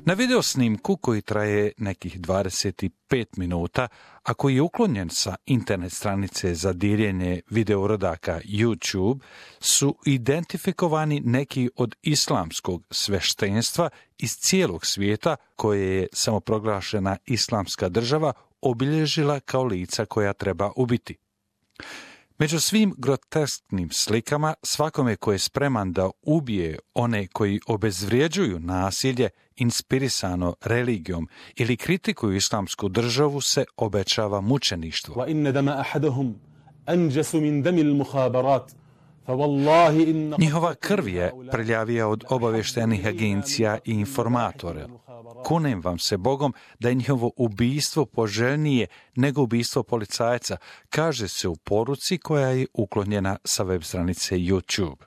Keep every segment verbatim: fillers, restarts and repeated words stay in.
Na video snimku koji traje nekih dvadeset pet minuta, a koji je uklonjen sa internet stranice za diljenje videouradaka YouTube, su identifikovani neki od islamskog sveštenstva iz cijelog svijeta koje je samoproglašena islamska država obilježila kao lica koja treba ubiti. Među svim grotesknim slikama, svakome ko je spreman da ubije one koji obezvrijeđuju nasilje inspirisano religijom ili kritikuju islamsku državu, se obećava mučeništvo. Njihova krv je prljavija od obavještajnih agencija i informatora. Kunem vam se Bogom da je njihovo ubijstvo poželjnije nego ubijstvo policajca, kaže se u poruci koja je uklonjena sa web stranice YouTube.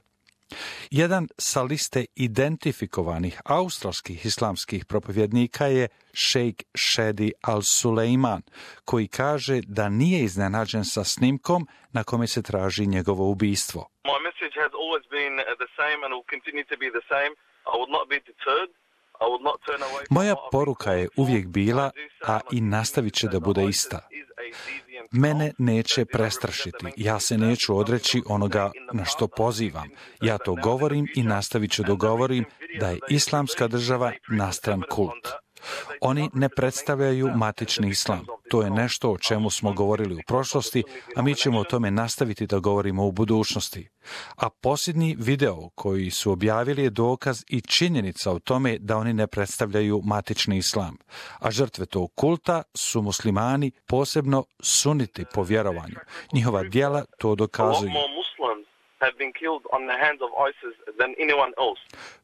Jedan sa liste identifikovanih australskih islamskih propovjednika je šejk Shadi al-Suleiman, koji kaže da nije iznenađen sa snimkom na kome se traži njegovo ubijstvo. My message has always been the same and will continue to be the same. I will not be deterred. Moja poruka je uvijek bila, a i nastavit će da bude ista. Mene neće prestrašiti. Ja se neću odreći onoga na što pozivam. Ja to govorim i nastavit ću da govorim da je islamska država nastran kult. Oni ne predstavljaju matični islam. To je nešto o čemu smo govorili u prošlosti, a mi ćemo o tome nastaviti da govorimo u budućnosti. A posljednji video koji su objavili je dokaz i činjenica o tome da oni ne predstavljaju matični islam. A žrtve tog kulta su muslimani, posebno suniti po vjerovanju. Njihova djela to dokazuju.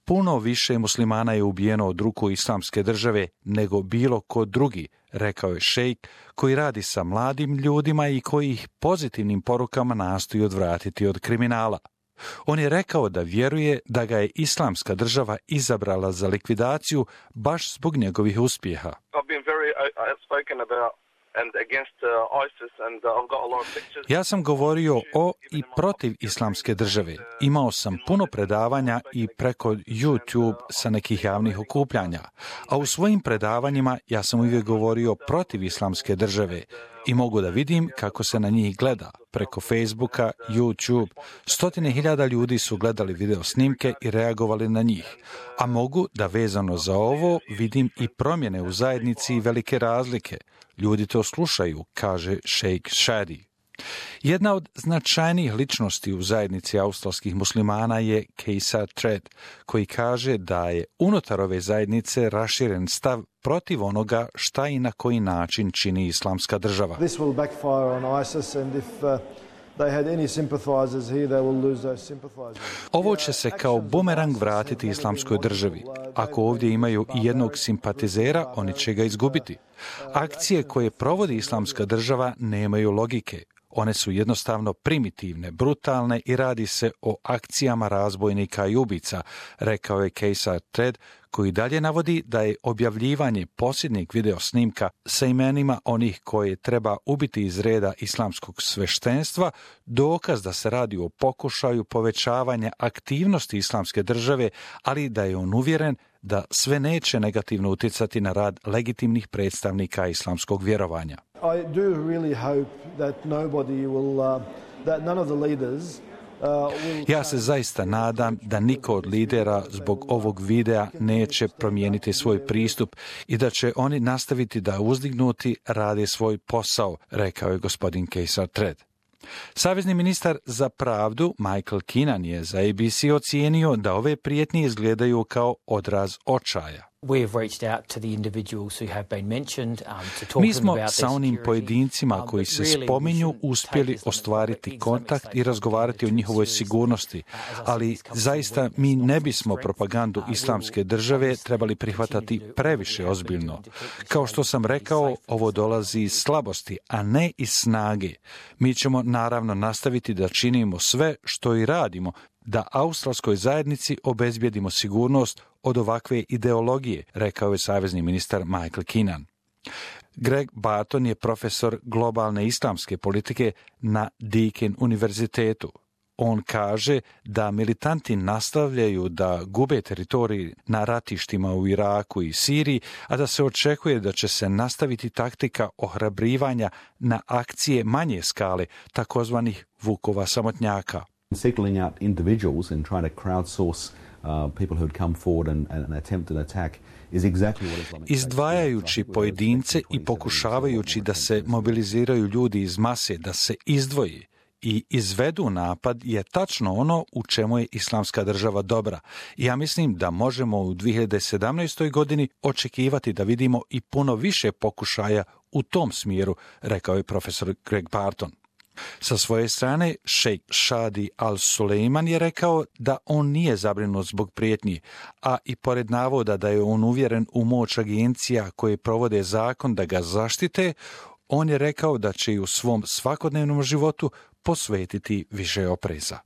Puno više muslimana je ubijeno od ruku islamske države nego bilo ko drugi, rekao je šejk, koji radi sa mladim ljudima i koji ih pozitivnim porukama nastoji odvratiti od kriminala. On je rekao da vjeruje da ga je islamska država izabrala za likvidaciju baš zbog njegovih uspjeha. Ja sam govorio o i protiv islamske države. Imao sam puno predavanja i preko YouTube sa nekih javnih okupljanja. A u svojim predavanjima ja sam uvijek govorio protiv islamske države i mogu da vidim kako se na njih gleda. Preko Facebooka, YouTube, stotine hiljada ljudi su gledali video snimke i reagovali na njih. A mogu da vezano za ovo vidim i promjene u zajednici i velike razlike. Ljudi to slušaju, kaže šejk Shadi. Jedna od značajnijih ličnosti u zajednici australskih muslimana je Kejsar Tred, koji kaže da je unutar ove zajednice raširen stav protiv onoga šta i na koji način čini islamska država. This will backfire on ISIS and if uh... Ovo će se kao bumerang vratiti islamskoj državi. Ako ovdje imaju i jednog simpatizera, oni će ga izgubiti. Akcije koje provodi islamska država nemaju logike. One su jednostavno primitivne, brutalne i radi se o akcijama razbojnika i ubica, rekao je Kejsar Tred, koji dalje navodi da je objavljivanje posljednjeg video snimka sa imenima onih koje treba ubiti iz reda islamskog sveštenstva dokaz da se radi o pokušaju povećavanja aktivnosti islamske države, ali da je on uvjeren da sve neće negativno utjecati na rad legitimnih predstavnika islamskog vjerovanja. I do really hope that nobody will, uh, that none of the leaders Ja se zaista nadam da niko od lidera zbog ovog videa neće promijeniti svoj pristup i da će oni nastaviti da uzdignuti rade svoj posao, rekao je gospodin Kejsar Tred. Savezni ministar za pravdu Michael Keenan je za A B C ocijenio da ove prijetnje izgledaju kao odraz očaja. Mi smo sa onim pojedincima koji se spominju uspjeli ostvariti kontakt i razgovarati o njihovoj sigurnosti, ali zaista mi ne bismo propagandu islamske države trebali prihvatati previše ozbiljno. Kao što sam rekao, ovo dolazi iz slabosti, a ne iz snage. Mi ćemo naravno nastaviti da činimo sve što i radimo, da australskoj zajednici obezbijedimo sigurnost od ovakve ideologije, rekao je savezni ministar Michael Keenan. Greg Barton je profesor globalne islamske politike na Deakin univerzitetu. On kaže da militanti nastavljaju da gube teritorij na ratištima u Iraku i Siriji, a da se očekuje da će se nastaviti taktika ohrabrivanja na akcije manje skale, takozvanih vukova samotnjaka. Singling out individuals and trying to crowdsource uh, people who had come forward and, and attempt an attack is exactly what Islamic Izdvajajući pojedince i pokušavajući da se mobiliziraju ljudi iz mase, da se izdvoji i izvedu napad je tačno ono u čemu je Islamska država dobra. I ja mislim da možemo u dvije hiljade sedamnaestoj. godini očekivati da vidimo i puno više pokušaja u tom smjeru, rekao je profesor Greg Barton. Sa svoje strane, šejk Shadi al-Suleiman je rekao da on nije zabrinut zbog prijetnji, a i pored navoda da je on uvjeren u moć agencija koje provode zakon da ga zaštite, on je rekao da će i u svom svakodnevnom životu posvetiti više opreza.